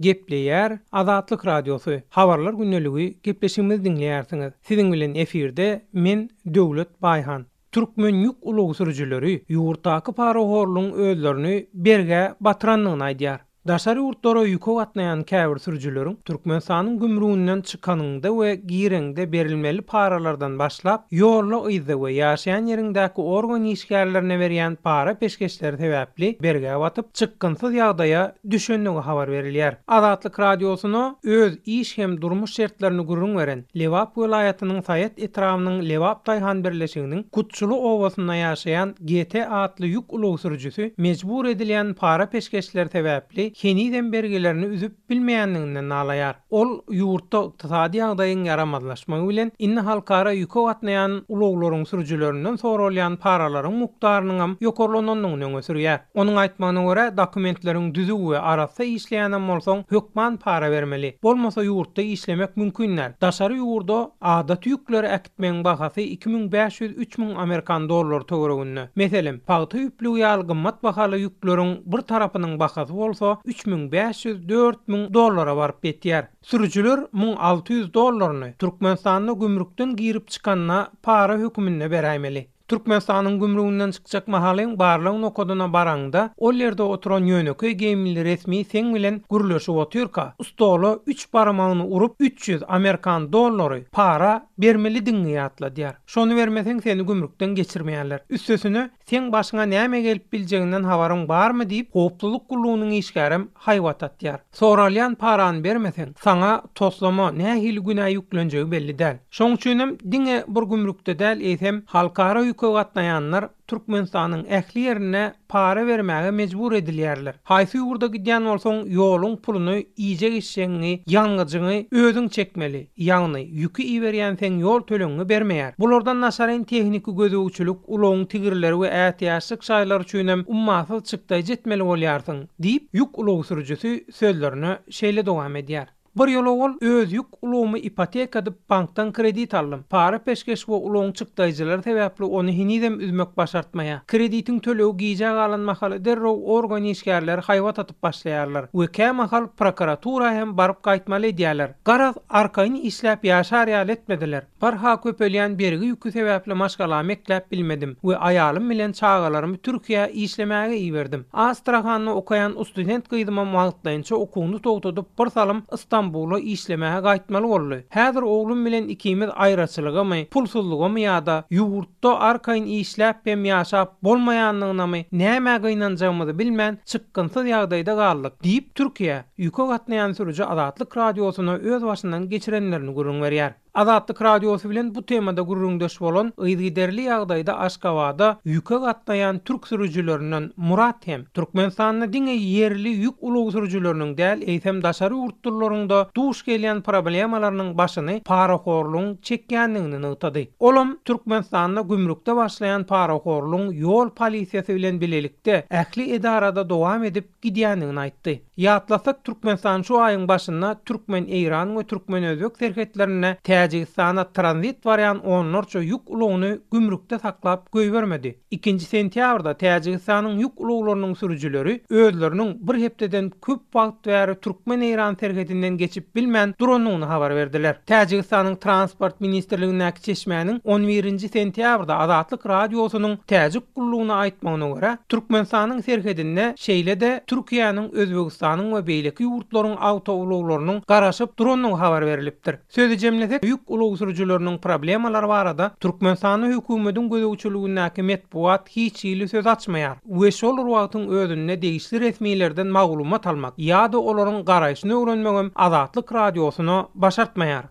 Gepleýär Azatlyk Radiosy, Habarlar gündeligi gepleşigimizi diňleýärsiňiz. Siziň bilen efirde men Döwlet Baýhan. Türkmen ýük ulag sürüjileri ýurtdaky parahorlugyň özlerini bergä batyrandygyny aýdýar. Daşary ýurtlara ýüke gatnaýan käbir sürüjileriň Türkmenistanyň gümrüginden çykanyňda we gireňde berilmeli paralardan başlap, ýolda-yzda we ýaşaýan ýeriňdäki organ işgärlerine berýän para-peşgeşleri sebäpli bergä batyp, çykgynsyz ýagdaýa düşendigi habar berilýär. Azatlyk Radiosyna öz iş hem durmuş şertlerini gürrüň beren Lebap welaýatynyň Saýat etrabynyň Lebap daýhan birleşiginiň Kutçuly obasynda ýaşaýan GT atly ýük ulag sürüjisi mejbur edilýän para-peşgeşler sebäpli henizem bergilerini üzüp bilmeýändiginden nalaýar. Ol ýurtda ykdysady ýagdaýyň ýaramazlaşmagy bilen, indi halkara ýüke gatnaýan ulaglaryň sürüjilerinden soralýan paralaryň mukdarynyňam ýokarlanandygyny öňe sürýär. Onuň aýtmagyna görä, dokumentleriň düzüw we arassa işleýänem bolsaň, hökman para bermeli. Bolmasa ýurtda işlemek mümkin däl. Daşary ýurda adaty ýükleri äkitmegiň bahasy 2500, 3000 amerikan dollary töwereginde. Meselem, pagta ýüplügi ýaly gymmat bahaly ýükleriň bir tarapynyň bahasy bolsa 3500, 4000 dollara baryp ýetýär. Sürüjiler 1600 dollaryny Türkmenistanda gümrükden girip çykanda para höküminde beräýmeli. Türkmenistanyň gümrüginden çykjak mahalyň barlag nokadyna baraňda, ol ýerde oturan ýönekeý geýimli resmi seň bilen gürleşip otyrka, stola üç barmagyny urup, 300 amerikan dollary para bermelidigiňi ýatladýar. Şony bermeseň seni gümrükden geçirmeýärler. Üstesine, seň başyňa näme gelip biljeginden habaryň barmy diýip, howpsuzlyk gullugynyň işgärem haýbat atýar. Soralýan parany bermeseň, saňa toslama nähili günä ýüklenjegi belli däl. Şoň üçinem diňe bir gümrükde däl, eýsem, halkara ýüke gatnaýanlar Türkmenistanyň ähli ýerinde para bermäge mejbur edilýärler. Haýsy ýurda gidýän bolsaň, ýoluň puluny, iýjek-içjegiňi, ýangyjyňy özüň çekmeli. Ýagny, ýüki iberýän seň ýol tölegiňi bermeýär. Bulardan daşaryn tehniki gözegçilik, ulagyň tigirleri we ätiýaçlyk şaýlary üçinem ummasyz çykdaýjy etmeli bolýarsyň. Diýip, ýük ulag sürüjisi sözlerine şeýle dowam edýär. Bir ýyl owal öz ýük ulagymy ipoteka edip bankdan kredit aldym. Para-peşgeş we ulagyň çykdaýjylary sebäpli ony henizem üzmek başartmaýar. Kreditiň tölegi gijä galan mahaly derrew organ işgärleri haýbat atyp başlaýarlar we kämahal prokuratura hem baryp gaýtmaly edýärler. Garaz, arkaýyn işläp ýaşar ýaly etmediler. Barha köpelýän bergi ýüki sebäpli maşgalamy ekläp bilmedim we aýalym bilen çagalarymy Türkiýä işlemäge iberdim. Astrahanda okaýan ustudent gyzymam wagtlaýynça okuwyny togtadyp bir salym Stambula işlemäge gaýtmaly boldy. Häzir oglum bilen ikimiz aýraçylygamy, pulsuzlygamy ýa-da ýurtda arkaýyn işläp hem ýaşap bolmaýandygynamy nämä gynanjagymyzy bilmän çykgynsyz ýagdaýda galdyk, diýip, Türkiýä ýüke gatnaýan sürüji Azatlyk Radiosyna öz başyndan geçirenlerini gürrüň berýär. Azatlyk Radiosy bilen bu temada gürrüňdeş bolan yzygiderli ýagdaýda Aşgabada ýüke gatnaýan türk sürüjilerinden Murat hem Türkmenistanda diňe ýerli ýük ulag sürüjileriniň däl, eýsem daşary ýurtlylaryň-da duş gelýän problemalarynyň başyny parahorlugyň çekýändigini nygtady. Olam Türkmenistanda gümrükde başlaýan parahorlugyň ýol polisiýasy bilen bilelikde ähli edarada dowam edip gidýändigini aýtdy. Ýatlasak, Türkmenistan şu aýyň başynda türkmen-eýran we türkmen-özbek serhetlerinde Täjigistana tranzit barýan onlarça ýük ulagyny gümrükde saklap goýbermedi. Ikinji sentýabrda Täjigistanyň ýük ulaglarynyň sürüjileri özleriniň bir hepdeden köp wagt bäri türkmen-eýran serhedinden geçip bilmän durandygyny habar berdiler. Täjigistanyň Transport ministrligindäki çeşmäniň on birinji sentýabrda Azatlyk Radiosynyň Täjik gullugyna aýtmagyna görä, Türkmenistanyň serhedinde şeýle-de Türkiýäniň, Özbegistanyň we beýleki ýurtlaryň awtoulaglarynyň garaşyp durandygy habar berlipdir. Sözi jemlesek, ýük ulag sürüjileriniň problemalary barada Türkmenistanda hökümediň gözegçiligindäki metbugat hiç hili söz açmaýar we şol bir wagtyň özünde degişli resmilerden maglumat almak ýa-da olaryň garaýşyny öwrenmegem Azatlyk Radiosyna başartmaýar.